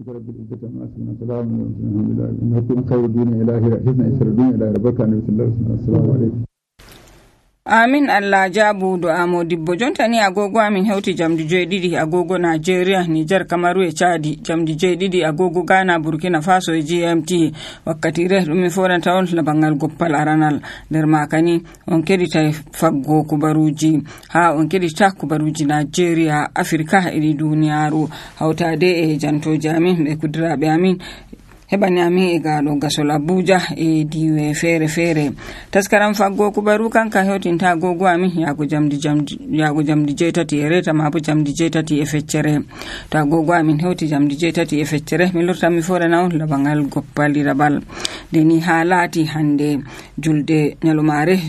ربك رب العزة عما يصفون سلام على المرسلين الحمد لله نحكم خير الدنيا إلى آخرة حسن إسر الدنيا إلى ربك النبي صلى الله عليه وسلم السلام عليكم. Amin Allah jabu du'a modibbo jonta ni agogo amin hewti jamdi 7 agogo Nigeria Niger Kamaru e Chadi jamdi 7 agogo Ghana Burkina Faso e GMT wakkati re dum foranta on labangal goppal aranal der makani on kedita faggo kubaruji ha on kedita kubaruji Nigeria Afrika e duniyaaru hawtade e janto jamin be kudrabe amin hebani ami e gaado gasol Abuja e diwe fere taskaram faggo kubaru kanka hewtinta gogo ami yago jamdi jetati e reta mabu jamdi jetati e feccere ta gogo amin hewti jamdi jetati e feccere mi lurta mi forana on labangal goppali rabal deni halati hande julde nyalumare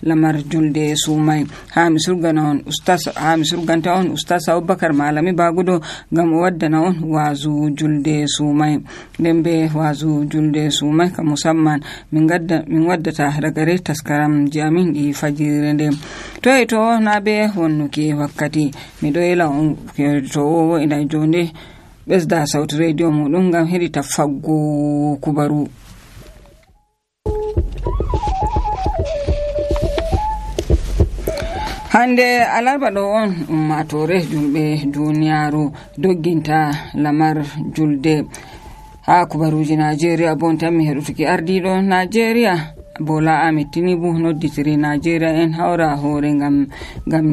lamar julde sumai ha mi surgana on ustaz Abubakar Malami Bagudo gam waddana on wazu julde sumai dembe wazu julde sumai ka musamman min waddata ragare taskaram jamin di fajire nde to na be wonnuki wakkati mi doyela on to ina jonde besda sauti radio mudum gam hedita faggo kubaru. Hande alarba do on ummatore julbe duniyaaru dogginta lamar julde ha kubaruji Nigeria bon tammi hedutuki ardido Nigeria Bola Ahmed Tinubu nodditiri Nigeria en hawra hore ngam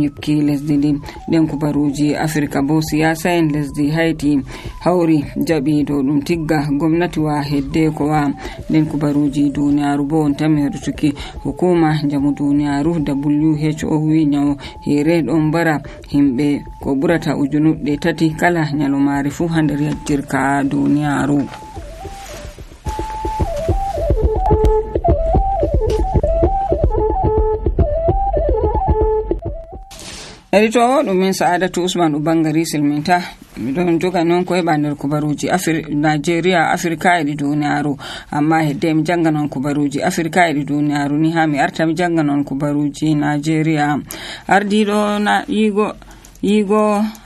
yibki lesdi din den kubaruji Afrika bo siyasa en lesdi Haiti hawri jabi do dum tigga gomnati wa hedde ko wa den kubaruji duniyaaru bo on tammi hedutuki hukuma jamu duniyaaru WHO wi nyaw here don bara himbe ko burata ujunude tati kala nyalomari fu hander yajjirka duniyaaru. Edito dum min Sa'adatu Usman Ubangari silminta don joga non ko hebander kubaruji Nigeria Afrika e duniyaaru amma hedde mi janga non kubaruji Afrika e duniyaaru ni ha mi arta mi janga non kubaruji Nigeria ardido na yigo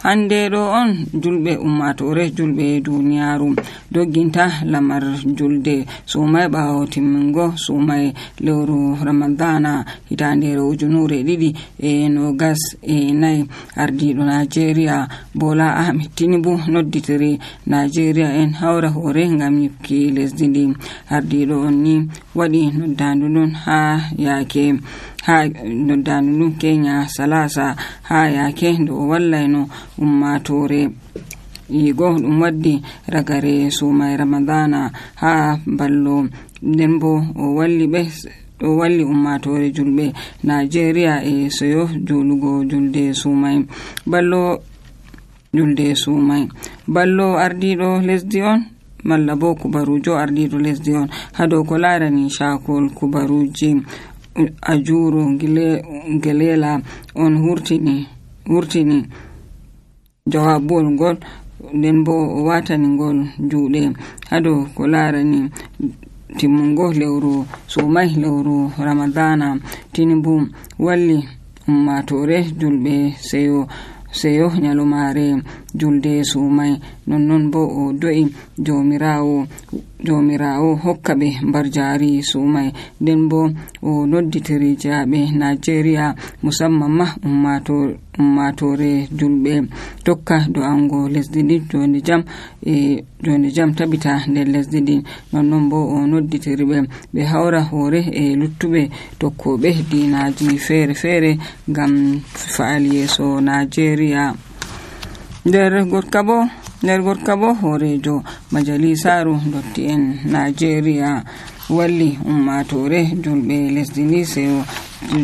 hande do on julbe ummatore julbe duniyaaru dogginta lamar julde sumai bawo timmingo sumai lewru Ramadana hitande ujunure 2024 ardido Nigeria Bola Ahmed Tinubu nodditiri Nigeria en hawra hore ngam yibki lesdi ndi ardido on ni wadi noddandu dun ha yake ha noddandu Kenya salasa ha yake do wallayno ummatore yigo dum waddi ragare sumai Ramadana ha ballo dembo o walli ummatore julbe Nigeria e soyo julugo julde sumai ballo ardido lesdi on malla bo kubarujo ardido lesdi on hado ko larani shakol kubaruji ajuru gelela on hurtini jawabol gol den bo watani gol juude hado ko larani timmungo lewru sumai lewru Ramadana Tinubu walli ummatore julbe seyo nyalomare julde sumai non bo o do'i jomirawo hokkabe barjari sumai den bo o nodditiri jaabe Nigeria musamman ma ummatore julbe tokka do ango lesdi din joni jam tabita nder lesdi din non bo o nodditiri be hawra hore e luttube tokkobe dinaji fere gam faali yeso Nigeria nder gorka bo horejo majalisaru dotti en Nigeria walli ummatore julbe lesdi ni seyo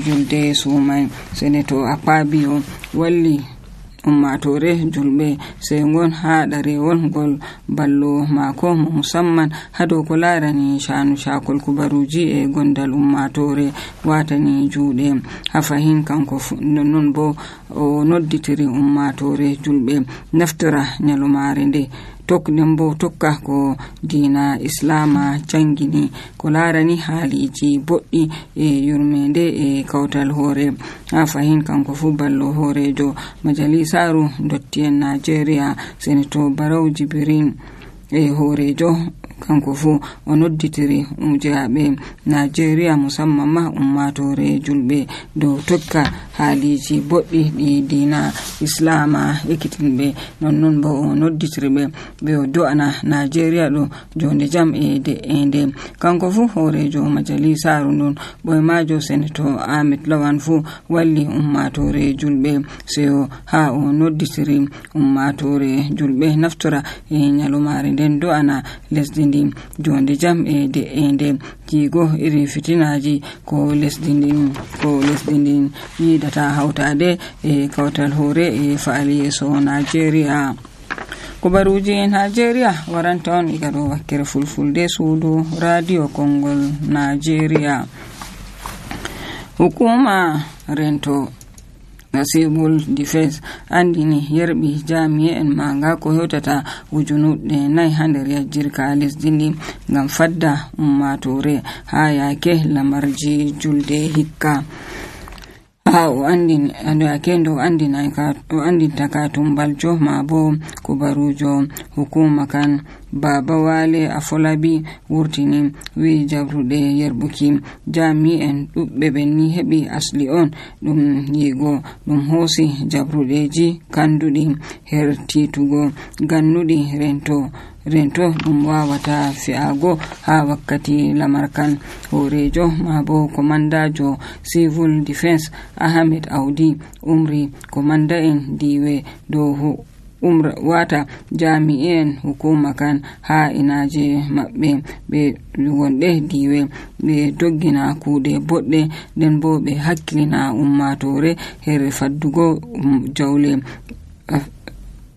julde sumai senator Akpabio walli ummatore julbe sengon ha darewol gol ballo mako musamman hado ko larani shakol kubaruji e gondal ummatore watani juude ha fahin kanko non bo o nodditiri ummatore julbe naftira nyalumare nde nden bo tokka ko diina islama jangini ko larani haaliji boɗɗi e yurmende e kawtal hoore ha fahin kanko fu ballo hoorejo majalisaru dotti'en Nigeria senator Barau Jibrin e hoorejo kanko fu o nodditiri umjaaɓe Nigeria musamman ma ummatore julɓe dow tokka haaliji boɗɗi ɗi diina islama ekkitinɓe nonnon bo o nodditiri ɓe o do'ana Nigeria ɗo jonde jam e de'ende kanko fu hoorejo majalisaru ndun ɓoymajo senator Ahmed Lawan fu walli ummatore julɓe seyo ha o nodditiri ummatore julɓe naftora e nyalomare nden do'ana lesdi jonde jam e de'ende jigo iri fitinaji ko lesdi ndin yidata hawtade e kawtal hoore e faali yeso Nigeria. Kubaruji Nigeria waranta on iga ɗo wakkere fulfulde suudu radio Kongol Nigeria. Hukuma rento civil defense andini yerbi jami'en manga ko hewtata ujunuɗe 4 nder yajjirka lesdi ndi ngam fadda ummatore ha yake lamarji julde hikka ha o andini kendo andinta ka tumbaljo ma bo kubarujo hukuma kan Baba Wale Afolabi wurtini wi jabrude yerbuki jami'en ɗuɓɓe ɓenni heɓi asli on ɗum yigo ɗum hoosi jabrudeji kanduɗi her titugo gannuɗi rento ɗum wawata fi'ago ha wakkati lamarkan. Hoorejo ma bo komandajo civil defense Ahmed Audi umri komanda en diwe dow wata jami'en hukuma kan ha inaje maɓɓe ɓe wonɗe diwe ɓe doggina kuuɗe boɗɗe nden bo ɓe hakkilina ummatore her faddugo jawle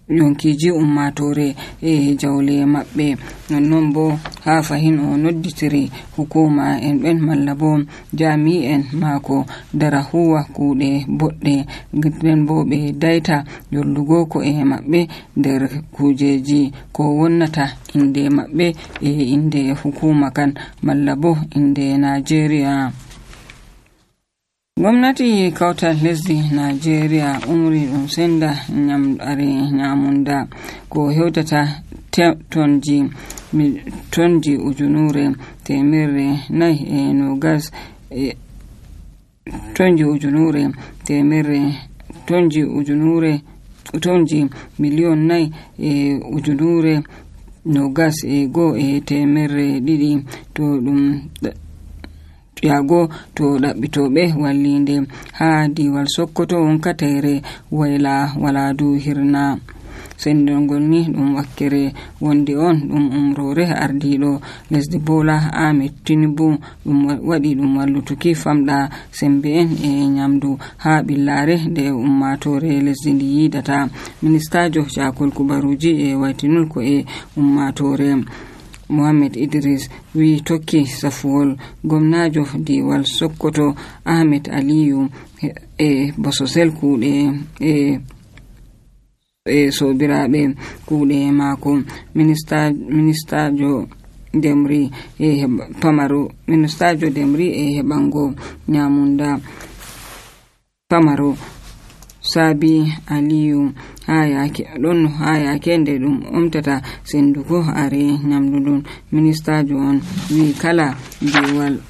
yonkiji ummatore e jawle maɓɓe. Nonnon bo ha fahin o nodditiri hukuma en ɓen malla bo jami'en mako dara huwa kuuɗe boɗɗe nden bo ɓe daita yollugo ko e maɓɓe nder kujeji ko wonnata inde maɓɓe e inde hukuma kan malla bo inde Nigeria. Gwamnati kawtal lesdi Nigeria umri ɗum senda nyamunda ko hewtata tonji ujunure temerre nay e nogas tonji miliyon nay e ujunure nogas e go e temerre ɗiɗi to ɗum yago to ɗaɓɓitoɓe wallinde ha diwal Sokoto wonkatare wayla waladu hirna. Sendongol ni ɗum wakkere wonde on ɗum umrore ardiɗo lesdi Bola Ahmed Tinubu ɗum waɗi ɗum wallutuki famɗa sembe en e nyamdu ha ɓillare nde ummatore lesdi ndi yidata. Ministajo Jakol Kubaruji e waytinol ko e ummatore Mohammed Idris wi tokki safuwol gomnajo diwal Sokoto Ahmed Aliyu e bososel kuuɗe e sobiraɓe kuuɗe mako. Ministajo Demri e heɓango nyamunda pamaro Sabi Aliyu ha yake nde ɗum omtata sendugo are nyamdu ɗum. Ministajo on wi kala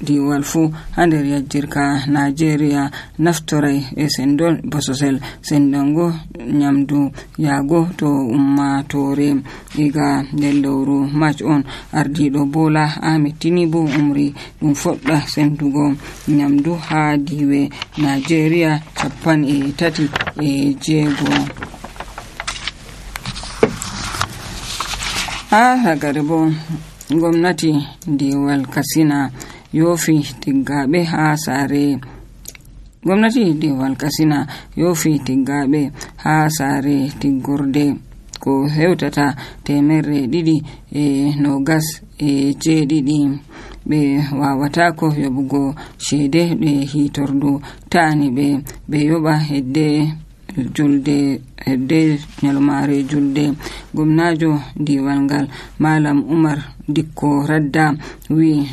diwal fu ha nder yajjirka Nigeria naftoray e sendol bososel sendango nyamdu yago to ummatore. Iga nder lewru March on ardiɗo Bola Ahmed Tinubu umri ɗum foɗɗa sendugo nyamdu ha diwe Nigeria 36. Ha hagare bo gwamnati diwal Katsina yofi tiggaɓe ha sare. Gwamnati diwal Katsina yofi tiggaɓe ha sare tiggorde ko hewtata temerre 227 ɓe wawatako yoɓugo ceede ɗe hitordu ta'ani ɓe yoɓa hedde nyalmare julde. Gomnajo diwal ngal Malam Umar Dikko Radda wi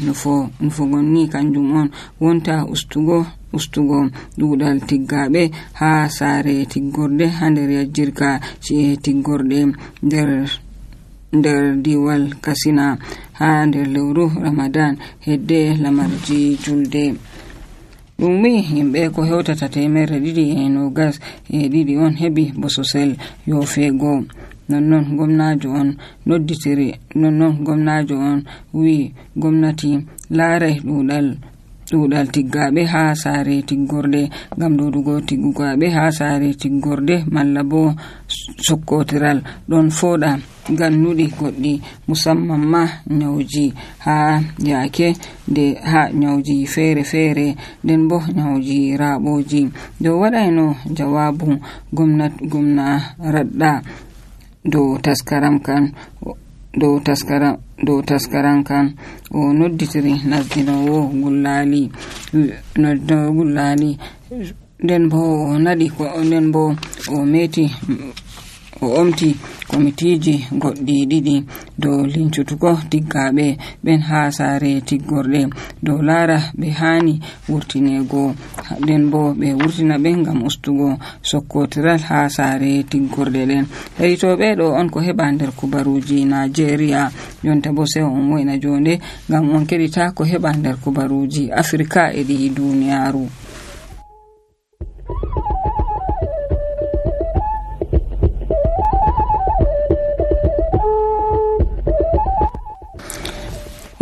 nufugonni kanjum on wonta ustugo duudal tiggaɓe ha saare tiggorde ha nder yajjirka ci'e tiggorde nder diwal Katsina ha nder lewru Ramadan hedde lamarji julde. Ɗum wi yimɓe ko hewtata 222 on heɓi bososel yofeego. nonnon gomnajo on wi gomnati laarai ɗuɗal tiggaɓe ha saare tiggorde ngam ɗuɗugo tiggugaɓe ha saare tiggorde malla bo sokkotiral ɗon foɗa gannuɗi goɗɗi musamman ma nyawji ha yake ha nyawji fere nden bo nyawji raɓoji. dow waɗayno jawabu gomna Radda dow taskaram kan o nodditiri nasdinowo gullali nden bo o nadi nden bo o omti komitiji goɗɗi ɗiɗi dow lincutugo tiggaɓe ɓen ha saare tiggorde dow laara ɓe hani wurtinego nden bo ɓe wurtina ɓe ngam ustugo sokkotiral ha saare tiggorde ɗen. Heɗitoɓe ɗo on ko heɓa nder kubaruji Nigeria. Jonta bo sai on woyna jonde ngam on keɗita ko heɓa nder kubaruji Afrika e ɗi duniyaru.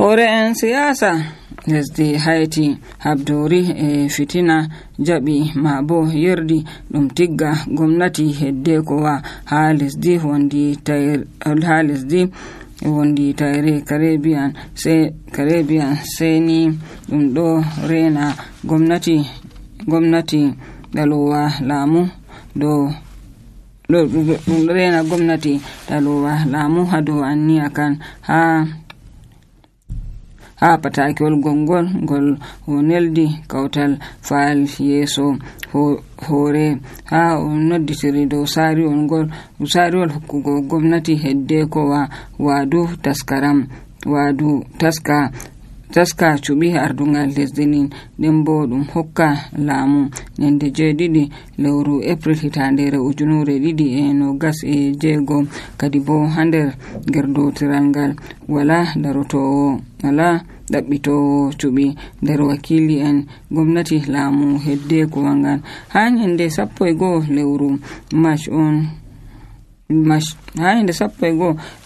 Hore en siyasa lesdi Haiti habdori e fitina jaɓi ma bo yerdi ɗum tigga gomnati hedde kowa ha lesdi wondi tayre Caribbean seni ɗum ɗo rena gomnati dalowa laamu ɗum rena gomnati dalowa laamu ha dow anniya kan ha patakewol ngol o neldi kawtal faal yeeso hore ha o nodditiri dow saariwol hokkugo gomnati hedde kowa waadu taska cuɓi ardungal lesdi nin nden bo ɗum hokka laamu nyande 7 lewru April 2026 kadi bo ha nder gerdotiral ngal wala ɗaɓɓitowo cuɓi nder wakili en gomnati laamu hedde kowa ngal ha nyande 11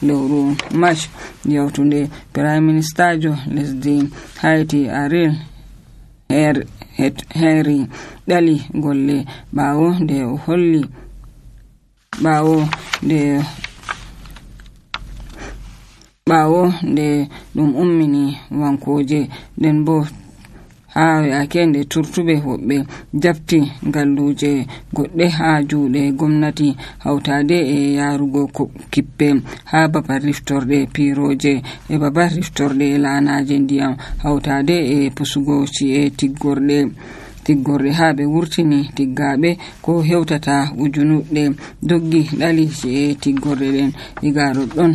lewru March yawtunde Prime Minister jo lesdi Haiti Ariel Henry ɗali golle ɓawo nde ɗum ummini wankoje nden bo ha yake nde turtuɓe woɓɓe jafti galluje goɗɗe ha juuɗe gomnati hawtade e yarugo kippe ha babal riftorde piroje e babal riftorde laanaje ndiyam hawtade e pusugo ci'e tiggorde ha ɓe wurtini tiggaɓe ko hewtata ujunuɗe doggi ɗali ci'e tiggorde ɗen igaro ɗon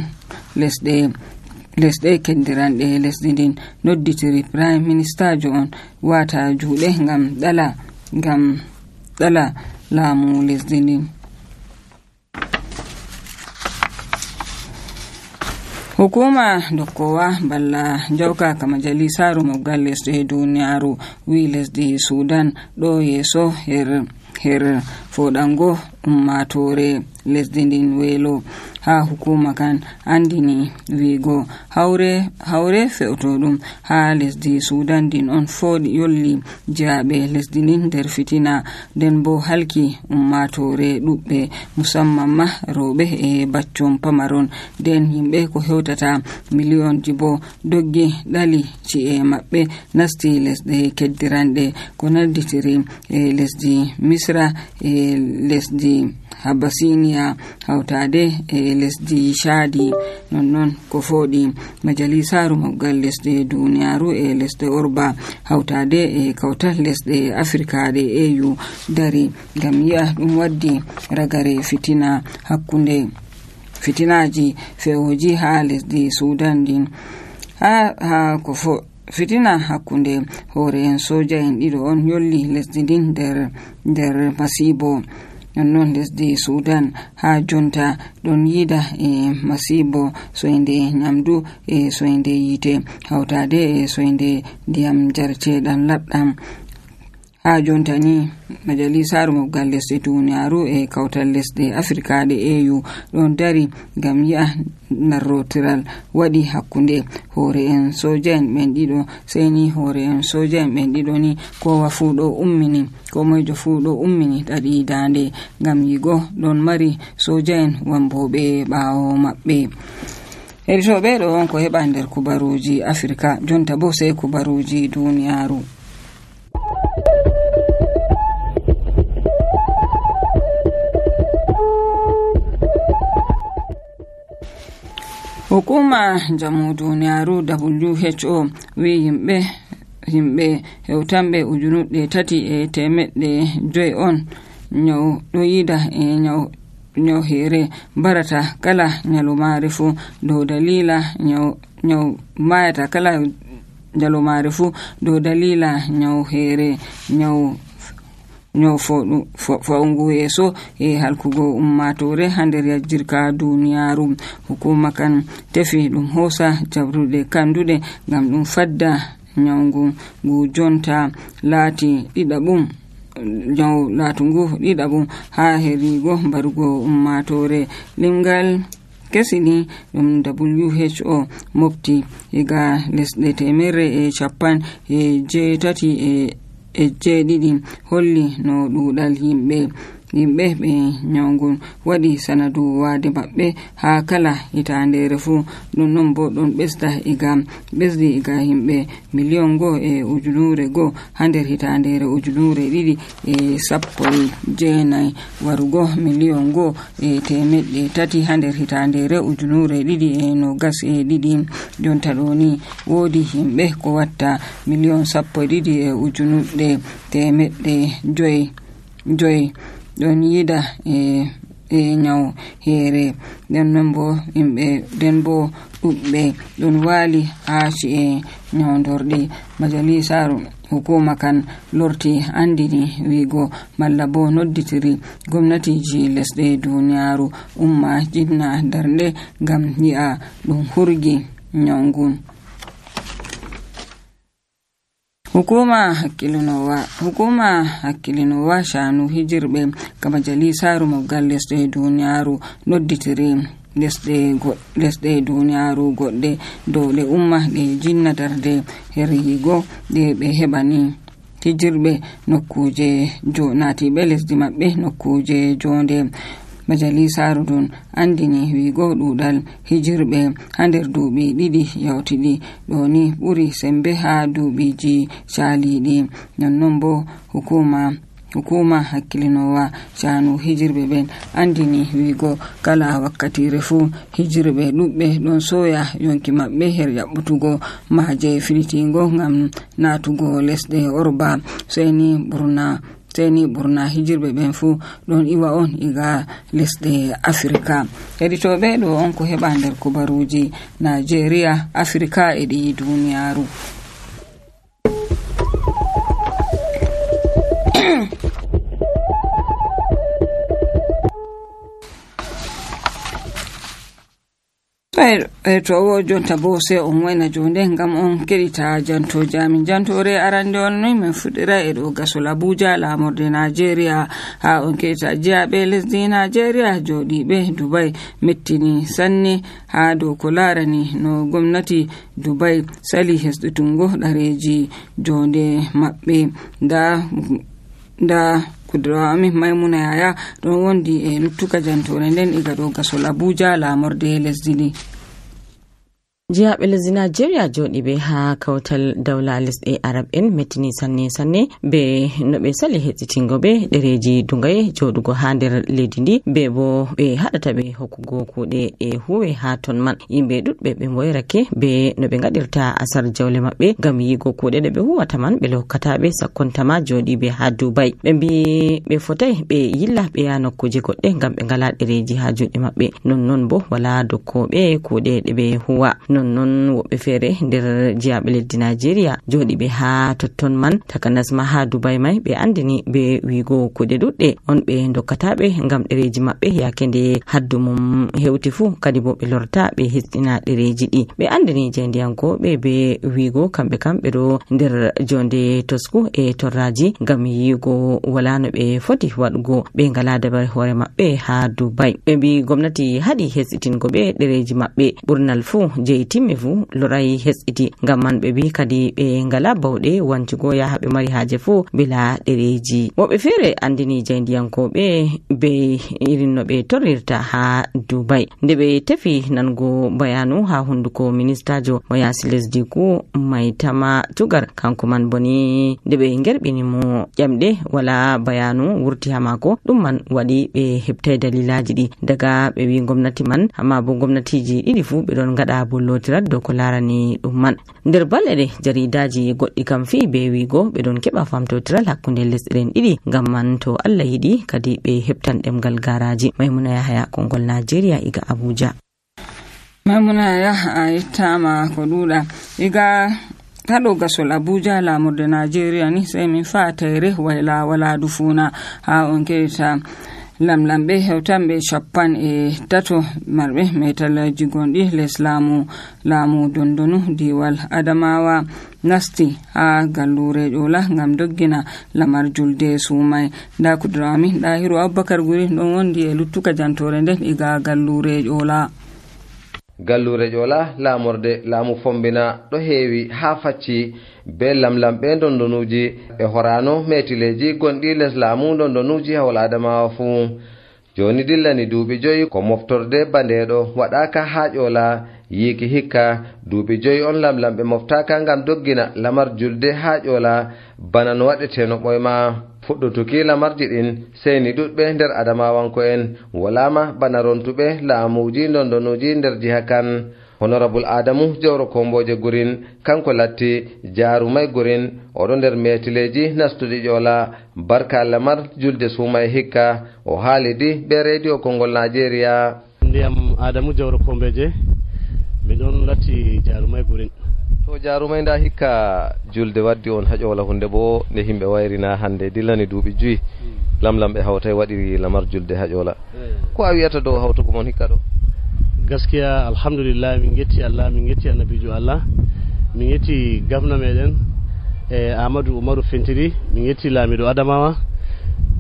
lesɗe keddiranɗe lesdi ndin nodditiri Prime Minister jo on wata juuɗe ngam ɗala laamu lesdi ndin. Hukuma dokkowa balla jawka ka majalisaru moggal lesdi duniyaru wi lesdi Sudan ɗo yeeso her foɗango ummatore lesdi ndin weelo ha hukuma kan andini wiigo hawre fe'utoɗum ha lesdi Sudan din on foɗi yolli jaaɓe lesdi ndin nder fitina nden bo halki ummatore ɗuɓɓe musamman ma rewɓe e baccon pamaron nden yimɓe ko hewtata miliyonji bo doggi ɗali ci'e maɓɓe nasti lesɗe keddiranɗe ko nalditiri e lesdi Misra e lesdi Habasiniya hawtade e lesdi Chadi. Non ko foodi majalisaru mawgal lesde duniyaru e lesde Orba hawtade e kawtal lesde Afrika de EU dari ngam yi'a ɗum waddi ragare fitinaji fewoji ha lesdi Sudan din ha ko fitina hakkunde hoore en soja en ɗiɗo on yolli lesdi din nder masibo. Non lesdi Sudan ha jonta ɗon yida e masibo soinde nyamdu e soinde yite hawtade e soinde ndiyam jarceɗam laɓɗam. Ha jonta ni majalisaru mawgal lesde duniyaru e kawtal lesde Afrika de EU ɗon dari ngam yi'a narrotiral waɗi hakkunde hoore en soja en ɓen ɗiɗo. Sey ni hoore en soja en ɓen ɗiɗo ni ko moijo fu ɗo ummini ɗaɗi dande ngam yigo ɗon mari soja en wamboɓe ɓaawo maɓɓe. Heditoɓe ɗo on ko heɓa nder kubaruji Afrika. Jonta bo sey kubaruji duniyaru. Hukuma jamu duniyaru WHO wi himɓe hewtanɓe 3,500 on nyaw ɗo yida e nyaw here barata kala nyalumare fu dow dalila nyaw mayata kala nyalumare fu dow dalila nyaw here nyaw fa'ungu yeso e halkugo ummatore ha nder yajjirka duniyaru. Hukuma kan tefi ɗum hosa jabruɗe kanduɗe ngam ɗum fadda nyawgu ngu jonta laati ɗiɗaɓum ha herigo mbarugo ummatore. Limgal kesini ɗum WHO mofti iga lesɗe 187 holli no ɗuɗal yimɓe ɓe nyawgun waɗi sanadu wade maɓɓe ha kala hitandere fu. ɗum non bo ɗon ɓesdi iga himɓe 1,1 ha nder hitandere 2019 warugo 1,300,000 ha nder hitandere 2022. jonta ɗo ni woodi himɓe ko watta 12,500,000 ɗon yida e nyaw here. den bo ɗuɓɓe ɗon wali ha ci'e nyawdorɗi. Majalisaru hukuma kan lorti andini wigo malla bo nodditiri gomnatiji lesɗe duniyaru umma jinna darnde ngam yi'a ɗum hurgi nyawgun. Hukuma hakkilinowa shanu hijirɓe ka majalisaru mawgal lesɗe duniyaru nodditiri lesɗe duniyaru goɗɗe dow ɗe umma ɗe jinna darde her yigo ɗe ɓe heɓani hijirɓe nokkuje natiɓe lesdi maɓɓe nokkuje jonde. Majalisaru ɗum andini wigo ɗuɗal hijirɓe ha nder duuɓi 2 yawtiɗi ɗo ni ɓuri sembe ha duuɓiji caaliɗi. nonnon bo hukuma hakkilinowa shanu hijirɓe ɓen andini wigo kala wakkatire fu hijirɓe ɗuɓɓe ɗon soya yonki maɓɓe her yaɓɓutugo maje filitigo ngam natugo lesɗe Orba. seni ɓurna hijirɓe ɓen fu ɗon iwa on iga lesɗe Afrika. Heditoɓe ɗo on ko heɓa nder kubaruji Nigeria, Afrika e ɗi duniyaru. to jonta bo se on wayna jonde ngam on keɗita jantoje amin. jantore arande on noy min fuɗɗira e ɗo gasol Abuja lamorde Nigeria. ha on keɗita jiyaɓe lesdi Nigeria joɗiɓe Dubai mettini sanne ha dow ko larani no gomnati Dubai sali hesɗutungo ɗareji jonde maɓɓe. nda kudura amin Maimuna Yaya ɗon wondi e luttuka jantore nden iga ɗo gasol Abuja lamorde lesdi ndi. Jihaɓe lesdi Nigeria joɗi ɓe ha kawtal dawla lesɗe Arab en mettini sanne be no ɓe sali heɗitingo ɓe ɗereji dungaye joɗugo ha nder leydi ndi be bo ɓe haɗata ɓe hokkugo kuuɗe ɗe huwe ha ton man. Yimɓe ɗuɗɓe ɓe moyrake be no ɓe gaɗirta asar jawle maɓɓe ngam yigo kuuɗe ɗe ɓe huwata man ɓe hokkataɓe sakkontama joɗi ɓe ha Dubai. Ɓe mbi ɓe fotai ɓe yilla ɓe ya nokkuje goɗɗe ngam ɓe ngala ɗereji ha juɗe maɓɓe, non bo wala dokkoɓe kuuɗe ɗe ɓe huwa. Non woɓɓe feere nder jihaɓe leddi Nigeria joɗi ɓe ha totton man takanas ma ha Dubai mai ɓe andini ɓe wigo kuɗe ɗuɗɗe on ɓe dokkataɓe ngam ɗereji maɓɓe yake nde haddu mum hewti fu, kadi bo ɓe lorta ɓe hisɗina ɗereji ɗi. Ɓe andini jendiyankoɓe be wigo kamɓe ɗo nder jonde tosku e torraji ngam yigo wala no ɓe foti waɗugo ɓe ngala dabar hoore maɓɓe ha Dubai. Ɓe mbi gomnati haɗi hesitingo ɓe ɗereji maɓɓe ɓurnal fu je timme fu lorai hesiti ngam man ɓe bi kadi ɓe ngala bawɗe wancugo yaha ɓe mari haje fu bila ɗereji. Woɓɓe feere andini jayndiyankoɓe be irin no ɓe torrirta ha Dubai nde ɓe tefi nango bayanu ha hunduko ministajo mo yasi lesdi ku Maitama Tugar. Kanko man boni nde ɓe ngerɓini mo ƴamɗe wala bayanu wurti ha mako, ɗum man waɗi ɓe heɓtai dalilaji ɗi daga ɓe wi gomnati man, amma bo gomnatiji ɗiɗi fu ɓe ɗon gaɗa bollotirat dow ko larani ɗum man. Nder balɗe ɗe jaridaji goɗɗi kam fi be wigo ɓe ɗon keɓa famtotiral hakkunde lesɗen ɗiɗi ngam man to Allah yiɗi kadi ɓe heɓtan ɗemgal garaji. Maimuna Yahaya, Kongol Nigeria, iga Abuja. Maimuna Yahaya a yettama ko ɗuɗa. Iga haɗo gasol Abuja lamurde Nigeria ni sai min fa tayre wala dufuna ha on keɗita lamlamɓe hewtanɓe 53 marɓe metalaji gonɗi les laamu dondonu diwal Adamawa nasti ha gallure ƴola ngam doggina lamar julde sumai. Nda kudrami Dahiru Abubakar Guri ɗon wondi e luttuka jantore nden iga gallure ƴola. Gallure ƴola lamorde laamu fombina ɗo heewi ha facci be lamlamɓe dondonuji e horano metileji gonɗi les laamu dondonuji hawol Adamawa fuu. Joni dillani duuɓi 5 ko moftorde bandeɗo waɗaka ha ƴola yiki hikka duuɓi 5 on lamlamɓe moftaka ngam doggina lamar julde ha ƴola bana no waɗeteno ɓoyma. Fuɗɗutuki lamarji ɗin seni ɗuɗɓe nder Adamawanko'en walama bana rontuɓe laamuji dondonuji nder jiha kan. Honorable Adamu Jawro Komboje Gurin kanko latti jarumai Gurin oɗo nder metileji nastuɗi ƴola barka lamar julde sumai hikka o haalidi be radio Kongol Nigeria. Ndiyam Adamu Jawro Komboje miɗon latti jarumai Gurin. To jarumai nda hikka julde waddi on ha ƴola hunde bo nde himɓe wayrina hande dillani duuɓi 5 lamlamɓe hawtai waɗiri lamar julde ha ƴola. Ko a wiyata dow hawtugo mon hikka ɗo? Gaskiya alhamdulillah min getti Allah, min getti annabijo Allah, min getti gavna meɗen Amadou Umaru Fentiri, min getti laamiɗo Adamawa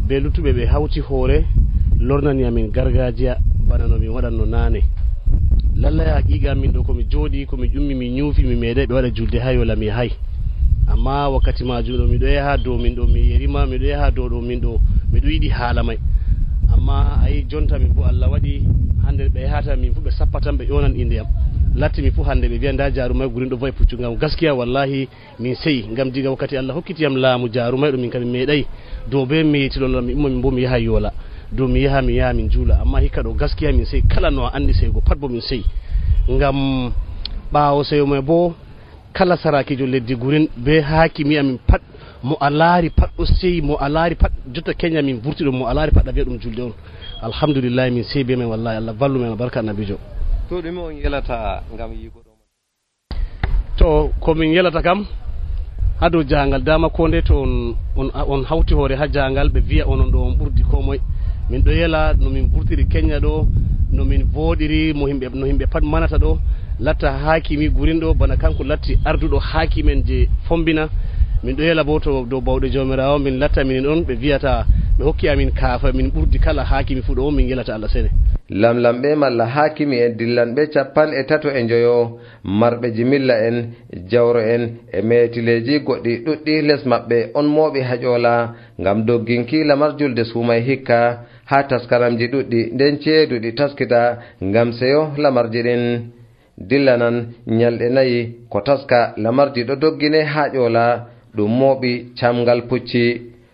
be luttuɓe ɓe hawti hoore lornani amin gargajiya bana no min waɗanno nane. Lallay haqiqa min ɗo komi jooɗi komi ƴummi mi ñuufi mi meeɗai ɓe waɗa julde ha Yola mi hay, amma wakkati majum ɗo miɗo yaha dow min ɗo mi yerima miɗo yaha dow ɗo min ɗo miɗo yiɗi haala may, amma ayi jonta min bo Allah waɗi hande ɓe yahata min fu ɓe sappatan ɓe ƴonan inde am latti mi fu hande ɓe wiya nda jarumai Gurin ɗo vayi puccu. Ngam gaskiya wallahi min seyi ngam diga wakkati Allah hokkitiyam laamu jarumai ɗo min kadi meeɗai dow be meyitilol mi umma min bo mi yaha Yola dow mi yaha min juula, amma hikka ɗo gaskiya min seyi kala no a andi seygo pat bo min seyi. Ngam ɓawo seyo mai bo kala sarakijo leddi Gurin be hakimi amin pat mo a laari pat ɗo seyi, mo a laari pat jotta Kenya min vurti ɗum mo a laari pat a wiya ɗum julde on. Alhamdulillah min seyi be men wallahi Allah vallu men barka annabijo. To ɗume on yelata ngam yigo ɗo? To ko min yelata kam ha dow jangal dama ko nde to on hawti hoore ha jangal ɓe wiya onon ɗo on ɓurdi ko moye. Min ɗo yela no min vurtiri Kenya ɗo, no min voɗiri no himɓe pat manata ɗo, latta hakimi Gurin ɗo bana kanko latti arduɗo hakimen je fombina. Min ɗo yela bo to dow bawɗe jomirawo min latta minin on ɓe wiyata ɓe hokki amin kaafa min ɓurdi kala hakimi fu ɗo on min yelata Allah sene. Lamlamɓe malla hakimi en dillanɓe 35 marɓe jimilla en jawro en e metileji goɗɗi ɗuɗɗi les maɓɓe on mooɓi ha ƴola ngam dogginki lamar julde sumai hikka ha taskaramji ɗuɗɗi nden ceeduɗi taskita ngam seyo lamarji ɗin. dillanan nyalɗe 4 ko taska lamardi ɗo doggine ha ƴola ɗum mooɓi camgal pucci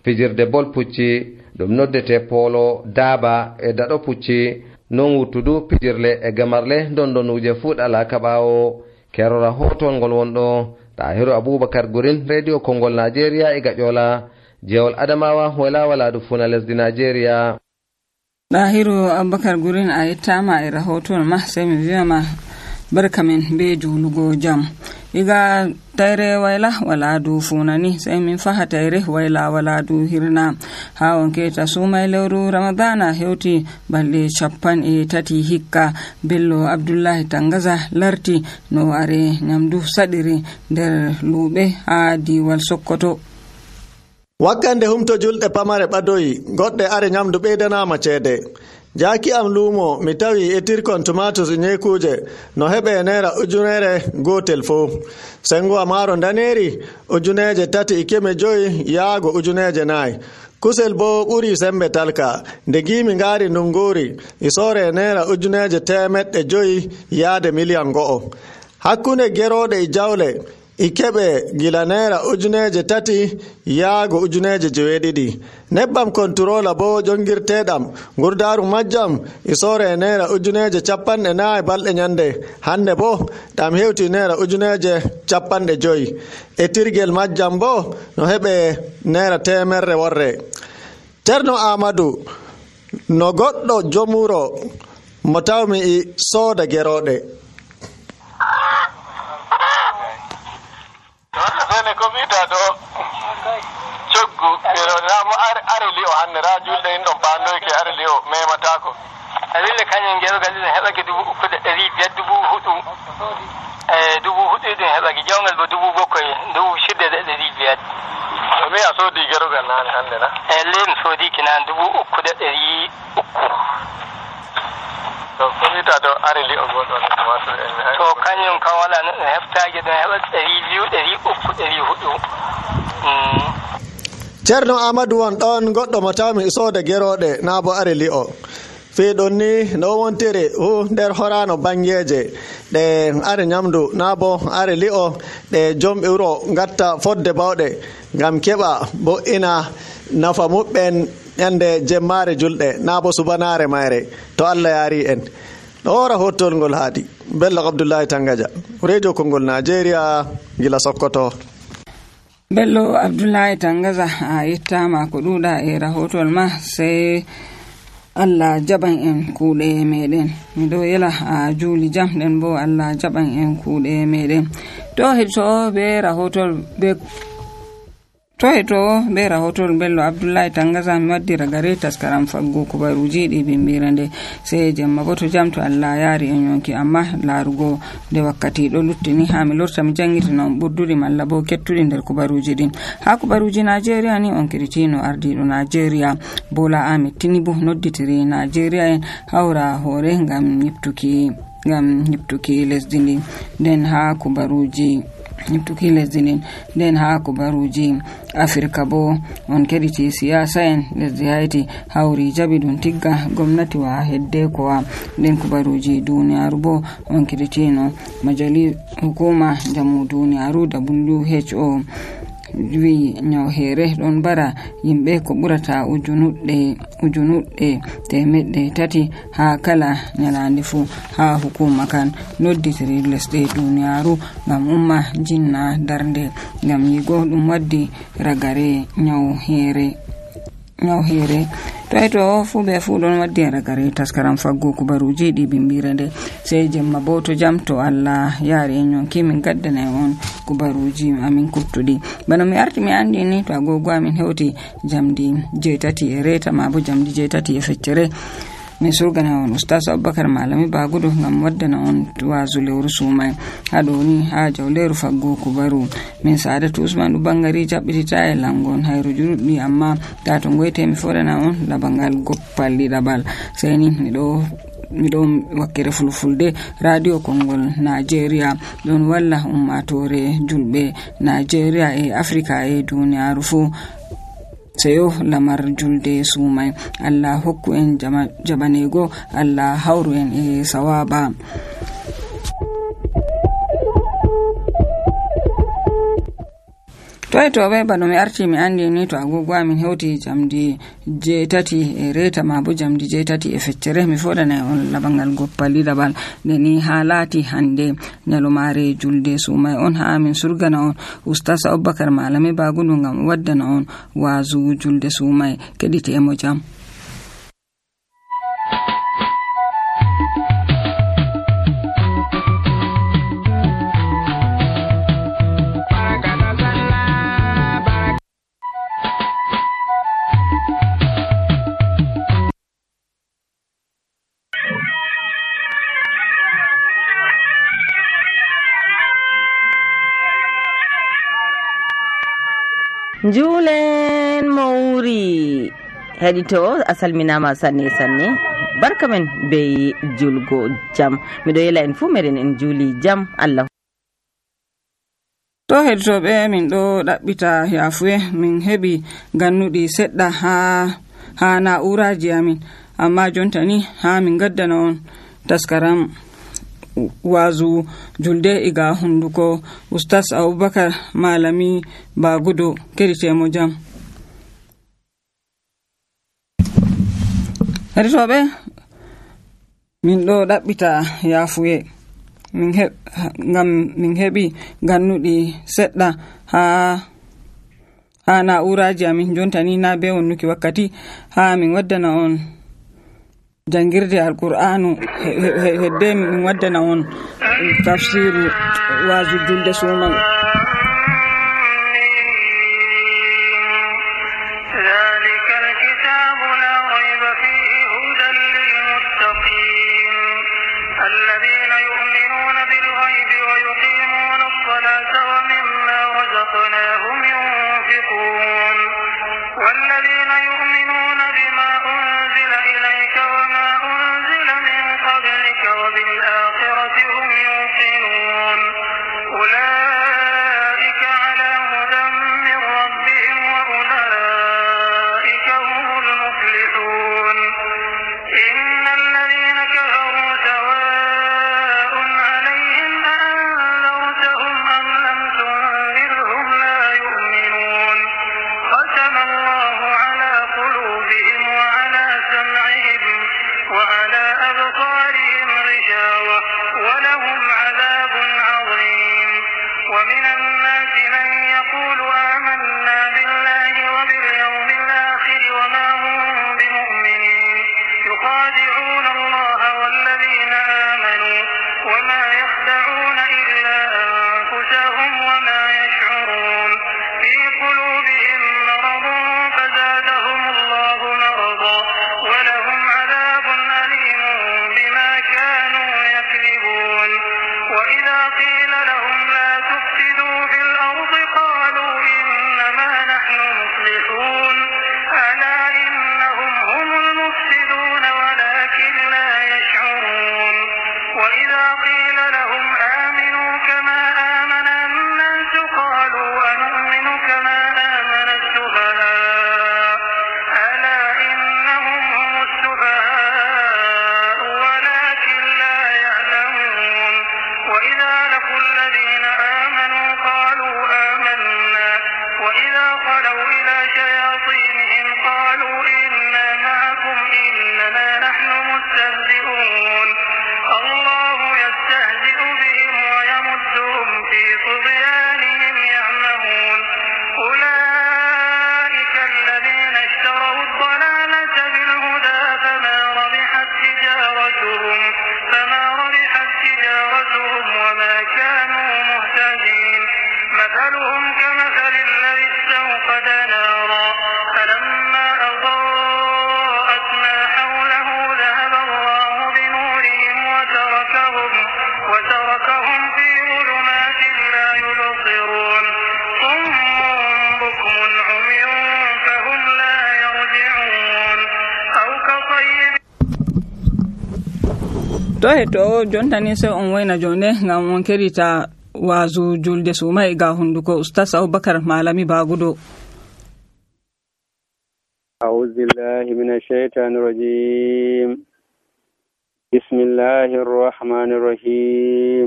fijirde bol pucci ɗum noddete polo daaba e daɗo pucci non wuttudu pijirle e gamarle dondonuje fuɗala kaɓawo kerora hotol ngol wonɗo Tahiru Abubakar Gurin Radio Kongol Nigeria e gaƴola jewol Adamawa wala waladu funa lesdi Nigeria. Tahiru Abubakar Gurin a yettama e rahoton ma sai mi wiyama barka men be julugo jam. Iga tayre wayla wala du funani sai min faha tayre wayla wala du hirna ha wonke ta sumay lewru ramadana hewti balde chappan e tati hikka Bello Abdullahi Tangaza larti no are nyamdu sadiri der lube ha diwal Sokoto. Wakkande humto julɗe pamare ɓadoyi goɗɗe are nyamdu ɓeydanama ceede. Jaki am lumo mi tawi etirkon tomatos nyekuje no hebe naira ujunere gotel fo. Sengo amaro daneri ujuneje 3.5 yaago ujuneje 4. Kusel bo ɓuri sembe talka nde gimi ngari nunguri isore naira ujuneje 500 yaade million go'o. Hakkunde gerode e jawle ikebe gila naira ujuneje 3 yaago ujuneje 7. Nebbam controller bo jongirtedam gurdaru majjam isore naira ujuneje 54 balde nyande hande bo dam hewti naira ujuneje 55 e tirgel majjam bo no hebe naira temerre worre. Terno Amadou no goddo jomuro mo tawmi i soda gerode. Sene ko wiita ɗo coggu ramo are li'o hannde ra julɗe en ɗon pandoyke are li'o mematako awille kañum gerogal ɗin heɓake 3,500 4,000 ɗin heɓake jawgal bo 7,000 6,500 mi a soodi gerogal nane hannde na len soodiki nan 3,300 to ko wiita ɗo are li'o goɗɗon to kañum kam wala no heftaki ɗon heɓa 200 300 Ceerno Amadou won ɗon goɗɗo mo tawmi sooda gerooɗe naa bo are li'o fiiɗon ni no wontiri nder horano bangeje ɗe are nyamdu naa bo are li'o ɗe jomɓe wuro gatta fodde bawɗe ngam keɓa bo ina nafa muɓɓen ñande jemmare julɗe naa bo subanare mayre to Allah yaari en ɗo wora hottol ngol haadi Bello Abdullahi Tangaja Radio Kongol Nigeria gila Sokoto. Bello Abdullahi Tangaza a yettama ko ɗuɗa e rahotol ma sai Allah jaban en kuuɗe meɗen miɗo yela a juuli jam ɗen bo Allah jaban en kuuɗe meɗen to heɗto be rahotol be rahotol Bello Abdullahi Tangaza mi waddi ragare taskaram faggo kubaruji ɗi bimbirande sai jemma bo to jam to Allah yaari en yonki amma larugo de wakkati ɗo luttini ha mi lorta mi jangitino ɓurduri malla bo kettuɗi nder kubaruji ɗin ha kubaruji Nigeria ni on kiritino ardiɗo Nigeria Bola Ahmed Tinubu nodditiri Nigeria en hawra hore ngam nyiptuki lesdi ndi nden ha kubaruji nyiptuki lesdi nden nden ha kubaruji Afrika bo on kediti siyasa en lesdi Haiti hawri jabi ɗum tigga gomnati wa hedde kowa nden kubaruji duniyaru bo on keditino majali hukuma jamu duniyaru WHO wi nyawhere ɗon bara yimɓe ko ɓurata ujunuɗɗe 300 ha kala nyalande fu ha hukuma kan nodditiri lesɗe duniyaru ngam umma jinna darnde ngam yigo ɗum waddi ragare nyawhere to fu be fu ɗon waddi ragare taskaram faggo kubaruji ɗi bimbirande sai jemma bo to jam to Allah yaari en yonki min gaddana on kubaruji amin kuttuɗi bana mi arti mi andi ni to agogo amin hewti jamdi 7 e reta ma bo jamdi 7 e feccere mi surgana on Ustaz Abubakar Malami Bagudo ngam waddana on wazu lewru sumay haɗo ni ha jawleru faggo kubaru min Saadatu Usman ɗu bangari jaɓɓitita e langon hayru juruɗɗi amma ta to ngoyte mi fodana on labangal goppal ɗiɗaɓal sai ni miɗo wakkere fulfulde Radio Kongol Nigeria ɗon walla ummatore julɓe Nigeria e Afrika e duniyaru fu seyo lamar julde sumay Allah hokku en jabanego Allah hawru en e sawaba to ɓe bano mi arti mi andi ni to agogo amin hewti jamdi 8:03 ma bo jamdi 8:50 mi fodana on labangal goppali dabal neni ha laati hande nyalomare julde sumai on ha amin surgana on ustaz Abubakar Malami Bagudu ngam waddana on wazu julde sumai kedite emo jam. Julen Mauri hedito asalminama sanne barka men be julgo jam mido yela en fu meren en juli jam Allah to heditoɓe min ɗo ɗaɓɓita yafuye min heɓi gannudi seɗɗa ha na'uraji amin amma jonta ni ha min gaddana on taskaram wazu julde iga hunduko ustaz Abubakar Malami Bagudu keditemo jam. Heditoɓe min ɗo ɗaɓɓita yafuye ngam min heɓi gannuɗi seɗɗa ha na'uraji amin jontani na be wonnuki wakkati ha min waddana on jangirde alqur'anu hedde min waddana on tafsiru wazu julde suman. to heto jontani se on wayna jonde ngam on kerita wazu julde sumai ga hunduko ustaz Abubakar Malami Bagudu. أعوذ بالله من الشيطان الرجيم بسم الله الرحمن الرحيم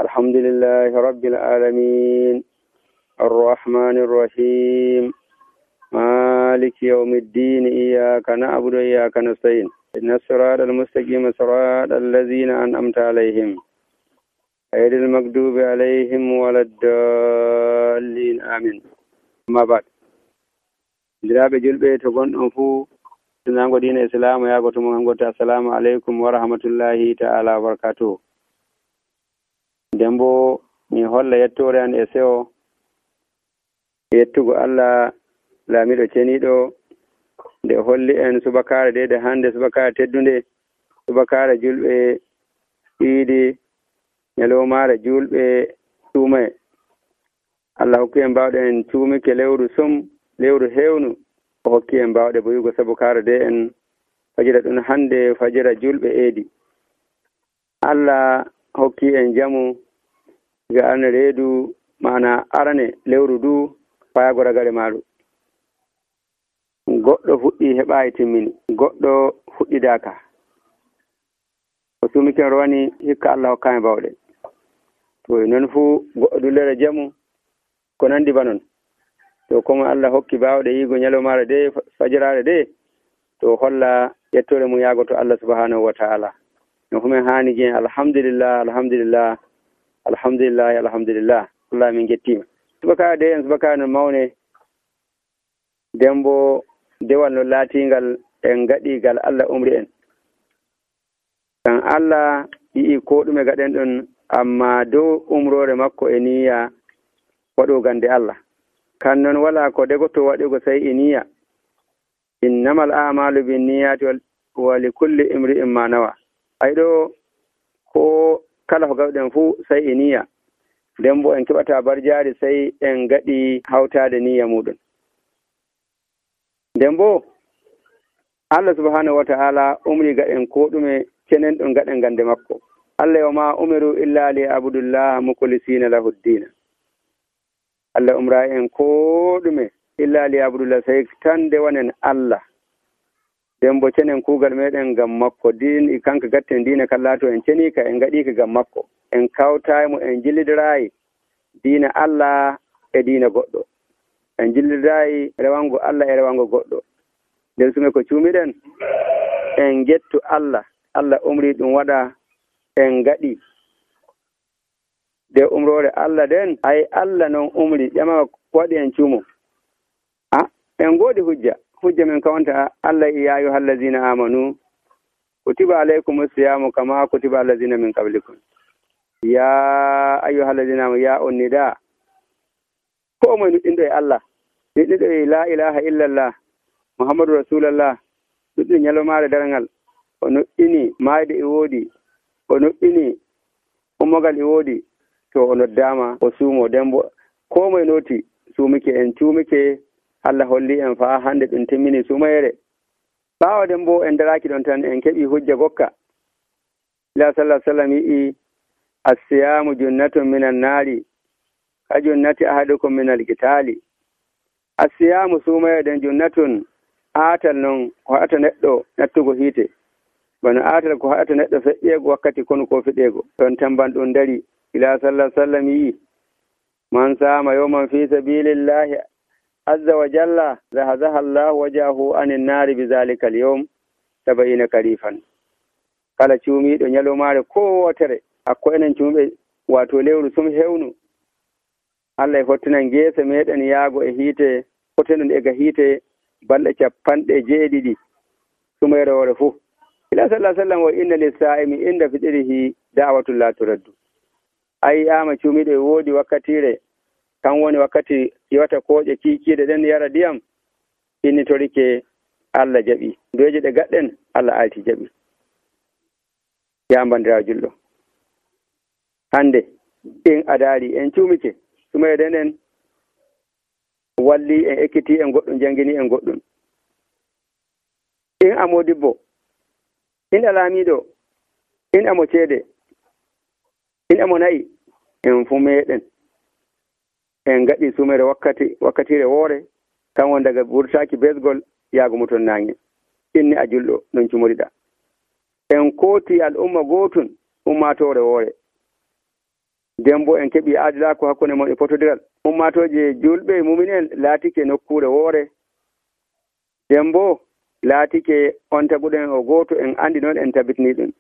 الحمد لله رب العالمين الرحمن الرحيم مالك يوم الدين إياك نعبد وإياك نستعين إن الصراط المستقيم صراط الذين أنعمت عليهم غير المغضوب عليهم ولا الضالين آمين. أما بعد درابة جلبة تكون أنفو سنانغو دين الإسلام يا قوتم السلام عليكم ورحمة الله تعالى وبركاته. dembo mi holla yettore an e sewo yettugo Allah laamiɗo ceniɗo nde holli en subakare de hande subakare teddunde subakare julɓe iidi ñalowmare julɓe tuumaye. Allah hokki en mbawɗe en tuumike lewru sum lewru hewnu o hokki en mbawɗe boyugo subakare de en fajira ɗum hande fajira julɓe eedi. Allah hokki en jamu ga arne reedu mana arane lewru du fayago ragare maɗum. Goɗɗo fuɗɗi heɓayi timmini, goɗɗo fuɗɗidaka. O sumiken rowani hikka Allah hokkami bawɗe. To non fu goɗɗo dullere jamu ko nandi ba non. To komo Allah hokki bawɗe yigo ñalomare de fajirare de to holla yettore mum yago to Allah subhanahu wa ta'ala. No fumen hani gen alhamdulillah alhamdulillah alhamdulillah alhamdulillah Allah min gettima. Subaka de en subaka no mawne dembo dewal no laatingal en gaɗigal Allah umri en. Kan Allah yi'i ko ɗume gaɗen ɗon amma dow umrore makko e niyya waɗo gande Allah. Kan non wala ko degoto waɗugo sai e niyya. Innamal a'malu bin niyyati wa li kulli imri'in ma nawa. Ayɗo ko kala ko gawɗen fu sai e niyya. Dembo en keɓata barjari sai en gaɗi hawtade niyya muɗum. Dembo Allah subhanahu wa ta'ala umri gaɗen ko ɗume cenen ɗum gaɗen gande makko. Allah wa ma umiru illa li abudullah mukhlisina lahu ddina. Allah umra en ko ɗume illa li abudullah sai tan de wanen Allah. Dembo cenen kugal meɗen gam makko din kanka gatten dina kallato en cenika en gaɗika gam makko. En kawtaymo en jillidirayi dina Allah e dina goɗɗo. En jillidirayi rewango Allah e rewango goɗɗo. nden sume ko cuumiɗen en gettu Allah Allah umri ɗum waɗa en gaɗi de umrore Allah den ay Allah non umri ƴama waɗi en cuumo en goodi hujja men kawanta Allah ya ayyuhallazina amanu kutiba alaykumus siyamu kama kutiba allazina min qablikum ya ayyuhallazina amanu ya unnida ko moy nuɗɗinɗo e Allah nuɗɗinɗo e la ilaha illallah Muhammadu Rasulallah ɗuɗɗum ñalomare darngal o nuɗɗini mayde e woodi o nuɗɗini ummogal e woodi to o noddama o suumo dembo ko moye noti suumike en cuumike Allah holli en faa hande ɗum timmini sumayere ɓaawa dembo en daraki ɗon tan en keɓi hujja gokka ila sallah sallam yi'i assiyamu junnatun minan naari ka junnati ahadukum minal qitali assiyamu sumayere den junnatun aatal noon ko haɗata neɗɗo nattugo hiite bano aatal ko haɗata neɗɗo feƴƴeego wakkati kono ko fiɗeego ɗon tamban ɗum dari ila sallah sallam yii man saama yawman fi sabilillahi azza wa jalla zahazaha allahu wajahu anin naari bi zalika al yawm 70 karifan kala cuumiiɗo ñalomaare ko wotere hakko enen cuumɓe wato lewru sum hewnu Allah e fottinan geese meɗen yaago e hiite fotenon e ga hiite balɗe 70 sumayre wore fuu ila sallah sallam o inna lissa'imi inda fiɗirihi da'watullah turaddu ayi ama cuumiɗo e woodi wakkatire kan woni wakkati yewata kooƴe kiikiiɗe ɗen yara ndiyam innitorike Allah jaɓi doje ɗe gaɗɗen Allah alti jaɓi ya bandirawo julɗo hande in adaari en cuumike sumayre nden walli en ekkiti en goɗɗum jangini en goɗɗum in amo dibbo in alamiɗo in amo ceede in amo nayi en fu meɗen en gaɗi sumere wakkatire woore kan won daga wurtaki besgol yaago muton nange inni a julɗo non cumoriɗa en kooti al'umma gotun ummatore woore nden bo en keɓi aadilako hakkunde mon e potodiral ummatoje julɓe muminen laatike nokkure woore nden bo laatike on taguɗen o gooto en andi noon en tabitini ɗum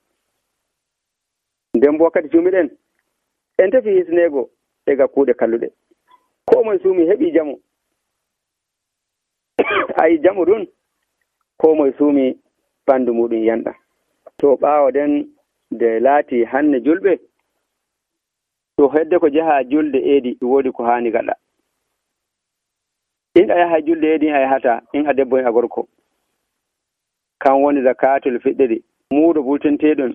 nden bo wakkati cuumiɗen en tefi hisnego e ga kuuɗe kalluɗe ko moye suumi heɓi jamu ayi jamu ɗum ko moye suumi ɓanndu muɗum yanɗa to ɓaawo den nde laati hanne julɓe to hedde ko jaha julde eedi woodi ko haani gaɗa in a yaha julde eedi a yahata in a debbo in a gorko kan woni zakatul fiɗɗiri muuɗo bultenteɗon